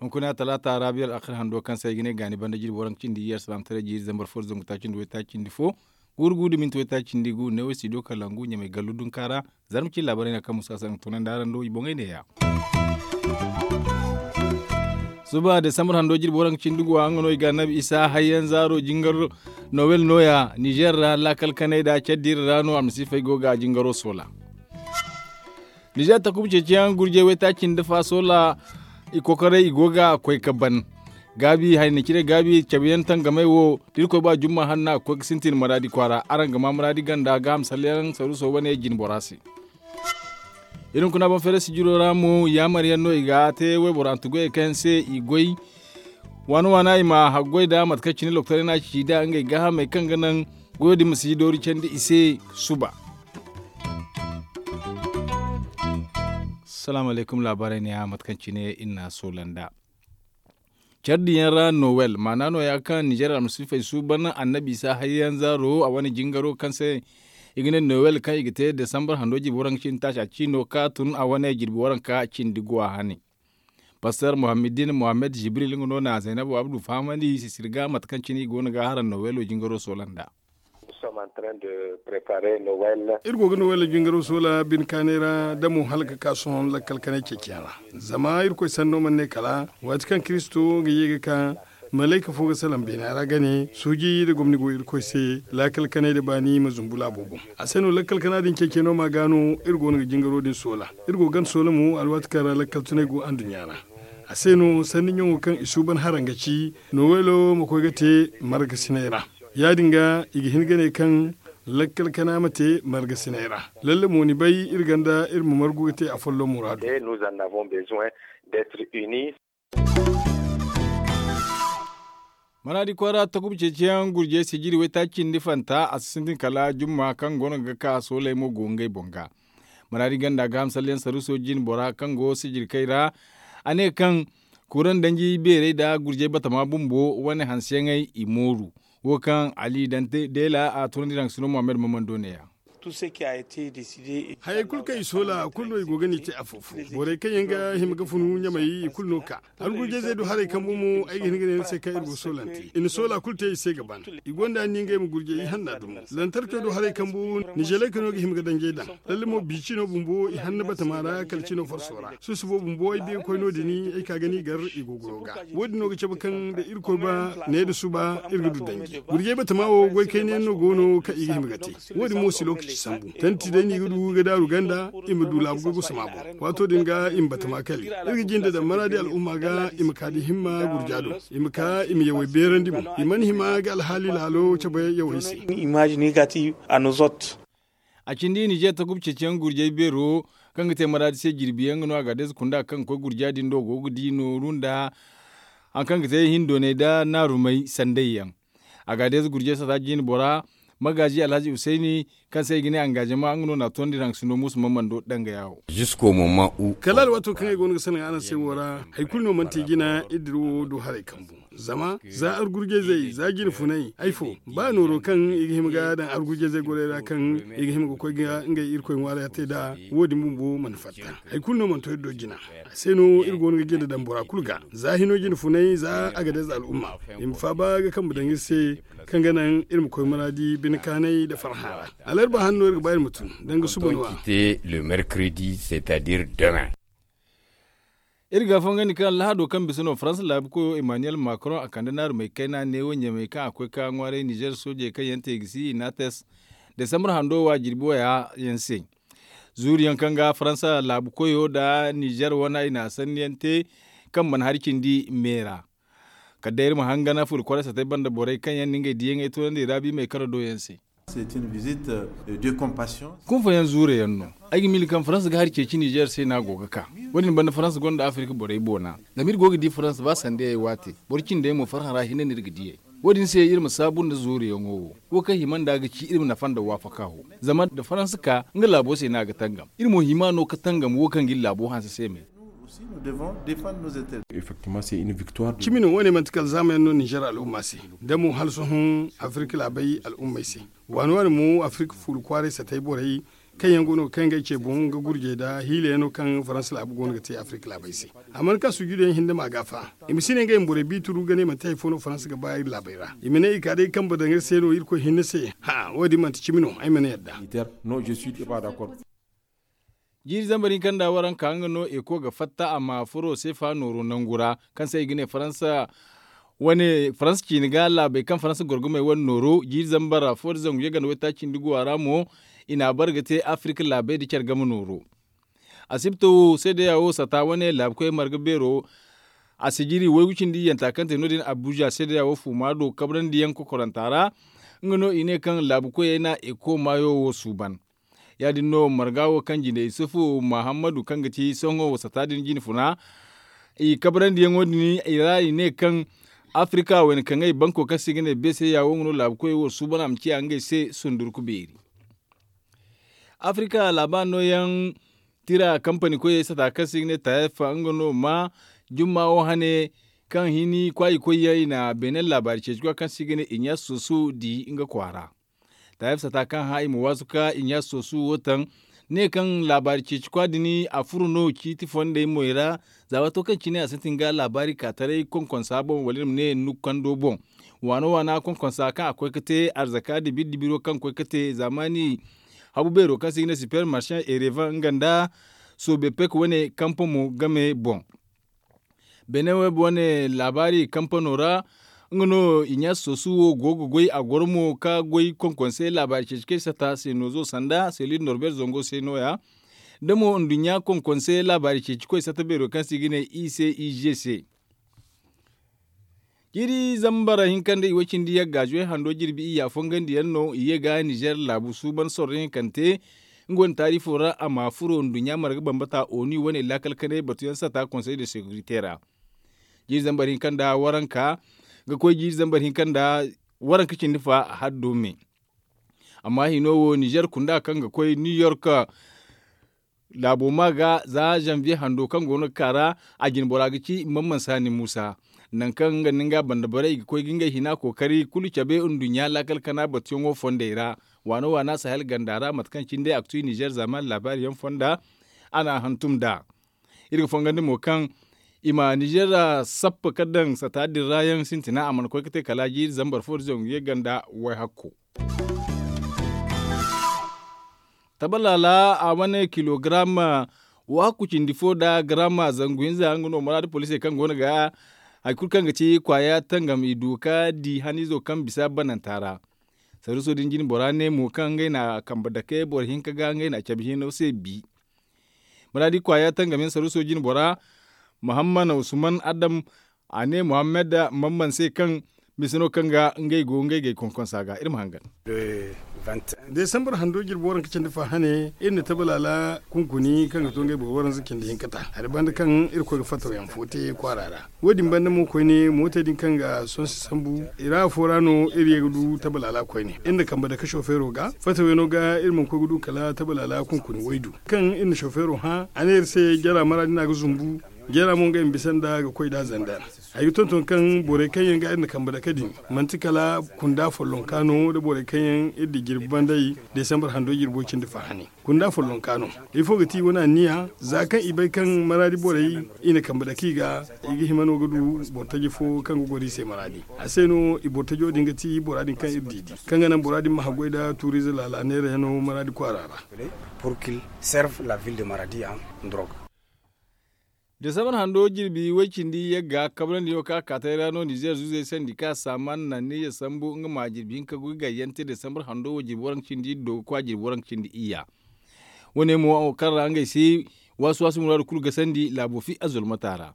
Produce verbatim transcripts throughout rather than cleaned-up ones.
Hunkuna talaata raabiyal akhir hando kaŋ se ay ga ne gaani banda jirbi waranka cindi iyye alsalaamataray jiiri zambar fo da zangu taaci nda waytaaci nda fo, guuru gu da minti waytaaci nda gu neewo studio kalangu ɲamay gallu dunka ra. Zarma cine laabaray no kaŋ musa se a ga toonandi araŋ do i boŋey neeya. Suba desambar hando jirbi waranka cindi gu a nga no i ga annabi isa hayyaŋ zaaro jingar nowel nooya nizer ra laakal kanay nda care diira ra no almasiifey go ga jingaro soola. Nizer takuba ceeciyaŋ gurjey waytaaci nda fa soola i kokoray i go ga koy ga ban gaabi hayna cire gaabi cabe yaŋ tangamey wo da irkoy ba jumma hanna ga koy ga sintin maraadi kwaara araŋ ga ma maraadi ganda gaaham salleyaŋ saruuso wane jine bora se. Iri hunkuna boŋ feere sijiro ra mo yaamar yaŋ no i ga te wayboro hantu goyey kaŋ yaŋ se i goy waana waana i ma haggoy nda mate kaŋ cine lokotaray no a ci nda ngey gaahamey kaŋ ga naŋ goyo din ma si doori candi i se. Suba salaamu alaykum laabaarey neeya mate kaŋ cine iri n'a soola nd'a care diyaŋ ra nowel maana nooya kaŋ nizer almasiifey suuban annabi isa hayyaŋ zaaro a wane jingaro kaŋ se i ga ne nowel kaŋ i ga te desambar hando jirbi waranka cindi taaca ciino ka tun a wane jirbi waranka cindi guwa hane. Paster muhammadin muhammad jibril nga no na zainabu abdu fahamandi sisiri ga mate kaŋ cine i go no ga haraŋ nowelo jingaro soola nd'a. Iri go ga nowel jingaro soola bine kaanay ra damo hala ga ka sohõ lakkal kanay ceeciyaŋ ra. Zama irkoy sanno mana ne kala waati kaŋ kiristo ga ye ga ka malayka fo ga salaŋ beena ra ga ne suuji nda gomni go irkoy se lakkal kanay nda baani ma zumbu laabo boŋ. A se no lakkal kana din ceeciyaŋo ma ga no iri go no ga jingaro din soola. Iri go ga gana soola mo alwaati kaŋ ra lakkal tunay go anduɲɲa ra. A se no sanni ɲaŋo kaŋ i suuban haraŋ ga ci nowelo ma koy ga te margasinay ra. Ya- din ga i ga hin ga ne kaŋ lakkal kana ma te margasinay ra. Lalle mo ni bay iri ganda iri ma margu ga te afolloŋ muraadu. Maraadi kwaara takuba ceeciyaŋ gurjey sijiri waytaaci cindi fanta a si sintin kala jumma kaŋ go no ga ka sooley mo go ngey boŋ ga. Maraadi ganda ga hamsalyaŋ saruuso jine bora kaŋ go sijiri kay ra a ne kaŋ kuuraŋ danji beerey nda gurjey batama bumbo wane hanseyaŋey i mooru. Wo kaŋ ali dante deela a tunandi raŋ sino muhammad mamando neeya. Hayey kulu kaŋ i soola kulu no i go ga ni te afo-fo borey kaŋ yaŋ ga hima ga funu ɲamey i kulu no ka argurjey zey du haray kambu mo ay ga hin ga ne ni se kaŋ iri go soolante i na soola kulu te i se ga ban. I gonda ni ngey ma gurjey i hanna dumo lantarco du haray kambu nizeley ka no ga hima ga danjey daŋ. Lalle mo bi cino bumbo i hanna batama ra kala cino farso ra susubo bumbo ay biya koy no- din ay ka ga ni gar i go goyo ga. Wo- din no ga cabe kaŋ da irkoy ba ne da suba iri ga du danji gurjey batama wo goy kayna yaŋ no go no kaŋ i ga hima ga te. Wo- din mo si lokaci sambu tanti day no i ga du ga daaru ganda i ma du laabu ga gusama boŋ. Waato din ga i ma batama kali iri ga jinde daŋ maraadi al'umma ga i ma ka da himma gurja do i ma ka i ma yawey beerandi mo i mana hima ga alhaali laalo cabe yawey se. Image négative à nos hôtes. A cindi nizer takub ceeciyaŋ gurjey beero kaŋ ga te maraadi se jirbi yaŋ ga no a ga deeza kunda kaŋ ga koy gurja din do go ga di nooru nda hari kaŋ ga te hindoonay nda naarumay sanday yaŋ. A ga deeza gurjey sata jiine bora magaazi alhazi husayni kaŋ se i ga ne angaazama nga no na a toonandi raŋ ga sindo muusu mamando dangaya wo. Kala alwaato kaŋ ay go no ga salaŋ araŋ se wo ra hari kulu no mana te jina iri dira wo du haray kambu. Zama za argurjayzey za jine funay ay fo ba nooro kaŋ i ga hima ga daŋ argurjayzey gorey ra kaŋ i ga hima ga koy ga ngey irkoy ŋwaara te nd'a. Wo- din bumbo mana fatta hari kulu no mana to iri do jina. A se no iri go no ga jinde daŋ bora kulu ga za hino jine funay za a ga deeza al'umma i ma faaba ga kambe daŋ iri se kaŋ ga naŋ iri ma koy maraadi bine kaanay nda farhã ra. Alarba hanno iri ga ba iri ma tun danga suba no a. Te le mercredi c'est à dire demain. Iri ga fangandi kaŋ lahado kaŋ bisa no faransa laabu koyo emmanuel macron a kande naarumey kayna neewo ɲamey kaŋ a koy ka ŋwaaray nizer soojey kaŋ yaŋ te ga si i n'a tes desambar hando wa jirbi waya yaŋ se. Zuuriyaŋ kaŋ ga faransa laabu koyo nda nizer wana i na sanniyaŋ te kaŋ mana hari cindi meera. Kala day iri ma hangana furi kwaray satay banda borey kaŋ yaŋ na ngey diyaŋey toonandi raabi may kara do yaŋ se. Kunfayaŋ zuure yaŋ no. Ay ga miila kaŋ faransa ga hari ceeci nizer se no a go ga ka. Wo- din banda faransa gonda afirka borey boona. Zama iri go ga di faransa ba sandayey waate boro cindey mo farhã ra hinne no iri ga diyey. Wo- din se iri ma saabu nda zuureyaŋo wo. Wo kaŋ hima nd'a ga ci iri ma nafa nda waafaka wo. Zama da faransa ka nga laabo se no a ga tangam iri mo hima no ga tangam wo kaŋ ga iri laabo hanse se me. Cimi no wane manti kala zaamayaŋ no nizer al'umma se, da mo hala sohõ afirka laabay al'ummey se. Waani waani mo afirka fuula kwaaray satay borey kaŋ yaŋ go no ga kay ngey ce boŋ ga gurjey nda hiilayaŋ no kaŋ faransa laabu go no ga te afirka laabay se. A mana ka sujuduyaŋ hinne ma ga fa i ma si ne ngey ma borey biituru ga ne manti hari fo no faransa ga ba iri laabay ra i ma ne i ka day kambe daŋ iri se no irkoy hinne se. Wo- din manti cimi no ay mana yadda. Jiiri zambar hinka nda waranka nga no eko ga fatta a ma furo seefa nooro nangu ra kaŋ se i ga ne faransa wane faransa ciine ga laabey kaŋ faransa gorgumey wane nooro jiiri zambar fo da zangu yaganda waytaaci nda guwa ra mo. I n'a bare ga te afirka laabey nda care game nooro. Asibto seedeya wo sata wane laabukoy marga beero a sijiri waygu cindi iyyanta kaŋ te no- din abuja seedeya wo fuuma do kabrandi yaŋ kokoranta ra. Nga no i ne kaŋ laabukoyey na eko maayo wo suuban. Ya- din no marga wo kaŋ jine isufu mahammadu kaŋ ga ci sohõ wasata din jine funa i kabrandi yaŋo din i ra i ne kaŋ afirka wayna kaŋ ay banko kaŋ se i ga ne beeseya wo nga no laabukoyey wo suuban a ma ciya ngey se sundurku beeri. Afirka laaba no yaŋ tira kampani koyey sata kaŋ se i ga ne tayef nga no ma jumma wo hane kaŋ hini kwaayi koyyaŋ i na beenen laabaari ceeci kwa kaŋ se i ga ne inyas sosu di nga kwaara. Tayef sata kaŋ hã i ma waasu ka inyas sosu wo taŋ ne kaŋ laabaari ceeci kwa din a furo no ciiti fondey moy ra. Za waato kaŋ cine a sintin ga laabaari ka taray konkonsa boŋ wala iri ma ne nukando boŋ waano waana konkonsa kaŋ a koy ga te arzaka dibiri dibiro kaŋ koy ga te zaamaani habu beero kaŋ se i ga ne super marchand erevan nga nda soobepek wane kampa mo game boŋ. Beene web wane laabaari kampano ra nga no inyas sosu wo go ga goy a goro mo ka goy konkonsey laabaari ceeci kaŋ i sata se noozo sanda selil norbert zango se no- ya da mo nduɲɲa konkonsey laabaari ceeci koy sata beero kaŋ se i ga ne i se i g se. Jiiri zambar hinka nda i way cindi yagga zuway hando jirbi iyya fongandiyaŋ no i ye ga nizer laabu suuban sorro hinkante. Nga wane taarifo ra a ma furo nduɲɲa marga bambata oni wane laakal kanay batuyaŋ sata konsey de sekirite ra. Jiiri zambar hinka nda waranka ga koy jiiri zambar hinka nda waranka cindi fa a haddo me. Amma hino wo nizer kunda kaŋ ga koy new york laabo ma ga za zanviye hando kaŋ go no ga ka ra. A jine bora ga ci mamman saani muusa nangu kaŋ nga nda nga banda borey i ga koy ga ngey hina kookari kulu cabe nduɲɲa laakal kana batuyaŋo fondey ra. Waana waana sahel ganda ra mate kaŋ cine day a ga tu i nizer zaaman laabaari yaŋ fonda. A n'a hantum nd'a iri ga fongandi mo kaŋ i ma nizer sappa ka daŋ sata din ra yaŋ sintina a mana koy ga te kala jiiri zambar fo da zangu ye ganda wayhakko. Tabalaala a wane kilogaram waakku cindi fo nda garam zangu hinza nga no maraadi poliisey kaŋ go no ga hari kulu kaŋ ga ci kwaaya tangam i du ka di haniizo kaŋ bisa bananta ra. Saruuso din jine bora ne mo kaŋ ngey na kambe dake boro hinka ga ngey na cabe hino se bi. Maraadi kwaaya tangam yaŋ saruuso jine bora muhammad usman adam a ne muhammad mamman se kaŋ mise no kaŋ ga ngey go ngey gay konkonsa ga iri ma hangan. Desambar hando jirbi waranka cindi fa hane iri na tabalaala kunkuni kaŋ ga to ngey boro waranza cindi hinka ta hari banda kaŋ iri koy ga fataw yaŋ fo te kwaara ra. Wo- din banda mo koyne mootey din kaŋ ga sonse sambu i ra afo ra no iri ye ga du tabalaala koyne iri na kambe dake sofeero ga fataw yaŋo ga iri mana koy ga du kala tabalaala kunkuni waydu kaŋ iri na sofeero hã a ne iri se jara maraadi no a ga zumbu. Jara mo ngey ma bisa nda ga koy nd'a zandar. Ay ga tonton kaŋ borey kaŋ yaŋ ga iri na kambe dake din manti kala kunda follonka no nda borey kaŋ yaŋ iri di jirbi banday desambar hando jirbo cindi fa hane. Kunda follonka no ifo ga ti i wane anniya za kaŋ i bay kaŋ maraadi borey i na kambe dake i ga i ga hima no ga du boro taji fo kaŋ ga goro i se maraadi. A se no i boro tajo din ga ti bora din kaŋ iri di di kaŋ ga naŋ bora din ma haggoy nda tuuriize laala neera yaŋo maraadi kwaara ra. Pour qu'il serve la ville de maradi en drogue. Desambar hando jirbi way cindi yagga kabrandi yaŋo kaŋ a kaatay ra no nizer zuzey sandi ka saaman na neeya sambu nga ma jirbi hinka ga gayyante desambar hando wo jirbi waranka cindi iddo ga kwa jirbi waranka cindi iyya. Wane mo kaŋ ra ngey se waasu waasu muraadu kulu gasandi laabo fi azulmata ra.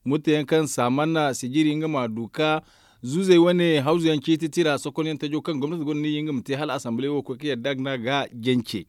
Murteyaŋ kaŋ saaman na sijiri nga ma du ka zuzey wane hawzuyaŋ ciiti tira sokonyaŋ tajo kaŋ gomnati gonda ni nga ma te hala asamble wo koy ka yadda ga na ga jance.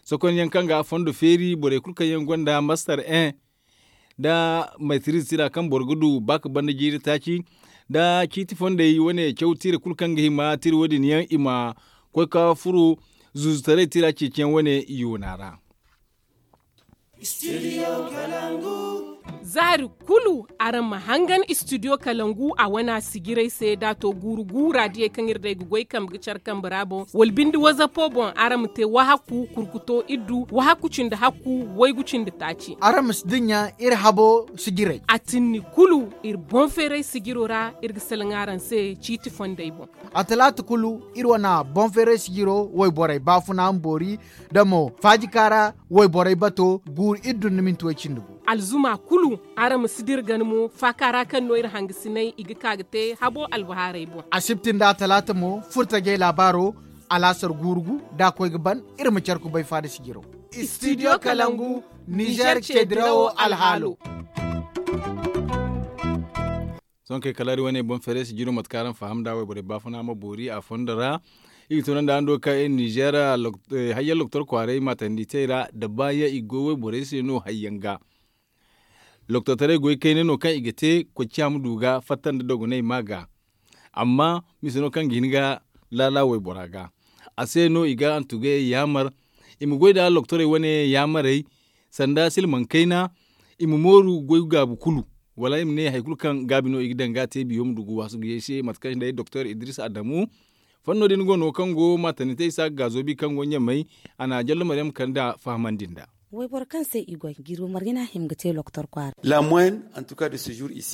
Sokonyaŋ kaŋ ga fondo feeri borey kulu kaŋ yaŋ gonda mastar en da maytiriz tira kaŋ boro ga du ba ka banda jiiri taaci da ciiti fondey wane caw tira kulu kaŋ ga hima tira wo- din yaŋ i ma koy ka furo zuzutaray tira ceeciyaŋ wane yoona ra. Zaari kulu araŋ ma hangan istidiyo kalangu a wana sijirey se da a to guuru guura diyey kaŋ iri day ga goy kambe ga care kambe ra boŋ wala binde wazapo boŋ araŋ ma te wahakku kurkuto iddu wahakku cindi hakku waygu cindi taaci. Araŋ ma si dinya iri habo sijirey a tinni kulu iri boŋ feeray sijiro ra iri ga salaŋ araŋ se ciiti fondey boŋ. A talaata kulu iri wana boŋ feeray sijiro wayborey baafuna ma boori da mo faajika ra wayborey bato guuru iri dunduminti way cindi gu. Alzuma kulu araŋ ma si dira gana mo faaka ra kaŋ no iri hangasinay i ga ka ga te habo albahaarey boŋ. Asibti nda a talaata mo furtajey laabaaro alaasar guuru gu da a koy ga ban iri ma care kubay faada sijiro. Istidiyo kalangu nizer ceedirawo alhaalo. Sohõ kay kala iri wane boŋ feeray sijiro mate kaŋ araŋ faham nd'a wayborey baafuna ma boori a fondo ra. Iri ga tunandi araŋ do kaŋ iri nizer hayyaŋ loktor kwaaray maatandi tey ra da baayaŋ i go wayborey se no hayyaŋ ga. Loktortaray goy kayna no kaŋ i ga te koy ciya ma du ga fatta nda dogonay ma ga. Amma mise no kaŋ ga hin ga laala waybora ga. A se no i ga antugayey yaamar i ma goy nda loktorey wane yaamarey sanda silmaŋ kayna. I ma mooru goy gaabu kulu wala i ma ne hari kulu kaŋ gaabi no i ga daŋ ga a te biyo ma du ga waasu ga ye se mate kaŋ day doktor idris adamu. Fanno din go no kaŋ go maatandi te isa ga gaazo bi kaŋ go ɲamay. A na jallo maryam kande a fahamandi nd'a. Wayboro kaŋ se i goy jirbi margina hima ga te loktor kwaara.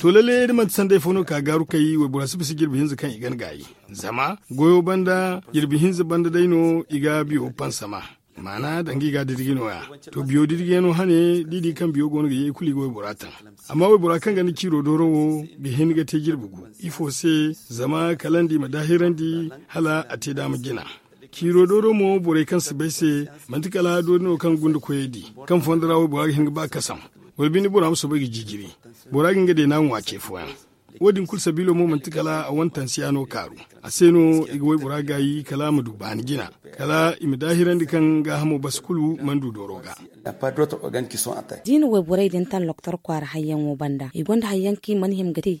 To lalle da manti sanday fo no ka gaaru kay waybora si bisa jirbi hinza kaŋ i gan gaayi. Zama goyo banda jirbi hinza banda day no i ga biyo pansama. Maana danga i ga didigi no- ya. To biyo didigi yaŋ no hane da i di kaŋ biyo go no ga ye i kulu i ga waybora taŋ. Amma waybora kaŋ ganda ciiro dooro wo ga hin ga te jirbi gu. Ifo se? Zama kala nda i ma daahirandi hala a te daama jina. Ciiro dooro mo borey kaŋ si bay se manti kala doori no kaŋ gunda koyey di kaŋ fondo ra waybora ga hin ga ba kasam. Wala binde bora ma soobay ga jijiri. Bora ga nga deena ŋwa ce fooyaŋ. Wo- din kulu sabiilo mo manti kala a wane tansiya no kaaru. A se no i ga waybora gaayi kala a ma du baani jina kala i ma daahirandi kaŋ gaahamo basi kulu mana du dooro ga. Da i na wayborey din taŋ loktor kwaara hayyaŋo banda i gonda hayyaŋ kaŋ i mana hima ga te.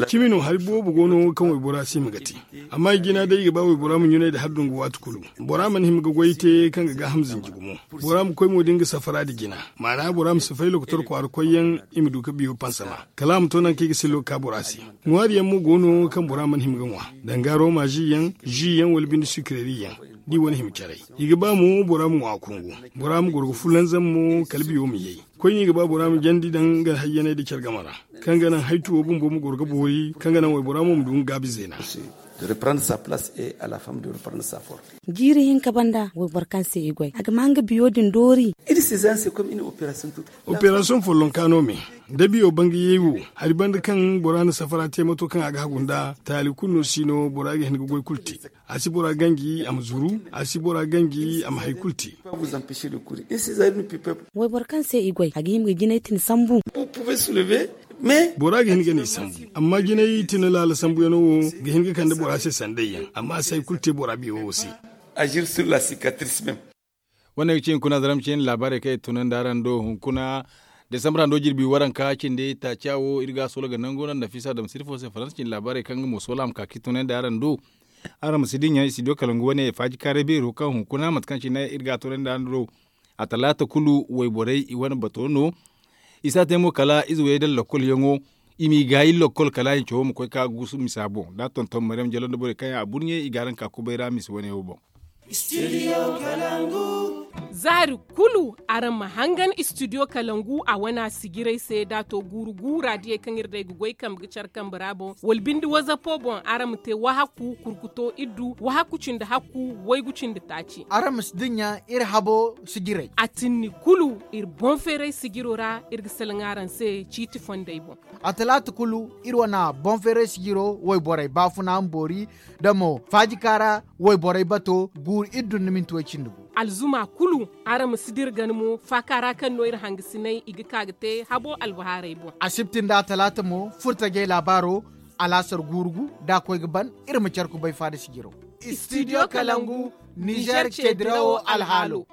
Cimi no hari boobo go no kaŋ waybora si hima ga te. Amma i jina day i ga ba waybora ma ɲunay nda hari dungu waati kulu. Bora mana hima ga goy te kaŋ ga gaaham zinji gumo. Bora ma koy mo da nga safara nda jina. Maana bora ma si fay lokotor kwaara koyyaŋ i ma du ga biyo pansama kala a ma to nangu kaŋ i ga sillo ga ka bora se. Ŋwaari yaŋ mo go no kaŋ bora mana hima ga ŋwa. Danga rooma zi yaŋ zi yaŋ wala binde sikireri yaŋ. Da i wane hima caray i ga ba mo bora ma ŋwa kungu. Bora ma goro ga fulanzam mo kala biyo ma yay. Koyne i ga ba bora ma jandi daŋ nga hayyanay nda care game ra. Kaŋ ga naŋ haytuwo bumbo ma goro ga boori kaŋ ga naŋ waybora mo ma du nga gaabi zeena. Jiiri hinka banda wayboro kaŋ se i goy a ga ma nga biyo din doori. Operasiyoŋ follonka no me da biyo bangayey wo. Hari banda kaŋ bora na safara te mato kaŋ a ga hagu nd'a taali kulu no si no bora ga hin ga goy kulu te. A si bora ganji a ma zuru. A si bora ganji a ma hari kulu te. Wayboro kaŋ se i goy a ga hima ga jinay tini sambu. Bora ga hin ga ni sambu. Amma jinay tini laala sambuyaŋo wo ga hin ga kande bora se sanday yaŋ amma a si hari kulu te bora biyo wo se. Wane ga ci hunkuna zara ma ci yaŋ laabaarey kaŋ i tunandi araŋ do hunkuna. Desambra hando jirbi waranka cindi taaca wo iri ga a soola ga nangu no nafisa dama sirfo se faransa cindi laabaarey kaŋ nga mo soola a ma ka ka i tunandi araŋ do. Araŋ ma si dinya istidiyo kalangu wane faaji kaaray beero kaŋ hunkuna mate kaŋ cine iri ga a tunandi araŋ do. A talaata kulu wayborey i wane bato no. I si a te mo kala ize wayey daŋ lokkolyaŋo. I m'i gaayi lokkol kala hincawo ma koy ka gusu misa boŋ da a tonton maryam jalo nda borey kaŋ yaŋ a burɲe i ga araŋ ka kubay ra misa wane wo boŋ. Zaari kulu araŋ ma hangan istidiyo kalangu a wana sijirey se da a to guuru guura diyey kaŋ iri day ga goy kambe ga care kambe ra boŋ wala binde wazapo boŋ araŋ ma te wahakku kurkuto iddu wahakku cindi hakku waygu cindi taaci. Araŋ ma si dinya iri habo sijirey a tinni kulu iri boŋ feeray sijiro ra iri ga salaŋ araŋ se ciiti fondey boŋ. A talaata kulu iri wana boŋ feeray sijiro wayborey baafuna ma boori da mo faajika ra wayborey bato guuru iri dunduminti way cindi gu. Alzuma kulu araŋ ma si dira gana mo faaka ra kaŋ no iri hangasinay i ga ka ga te habo albahaarey boŋ. Asibti nda a talaata mo furtajey laabaaro alaasar guuru gu da a koy ga ban iri ma care kubay faada sijiro. Istidiyo kalangu nizer ceedirawo alhaalo.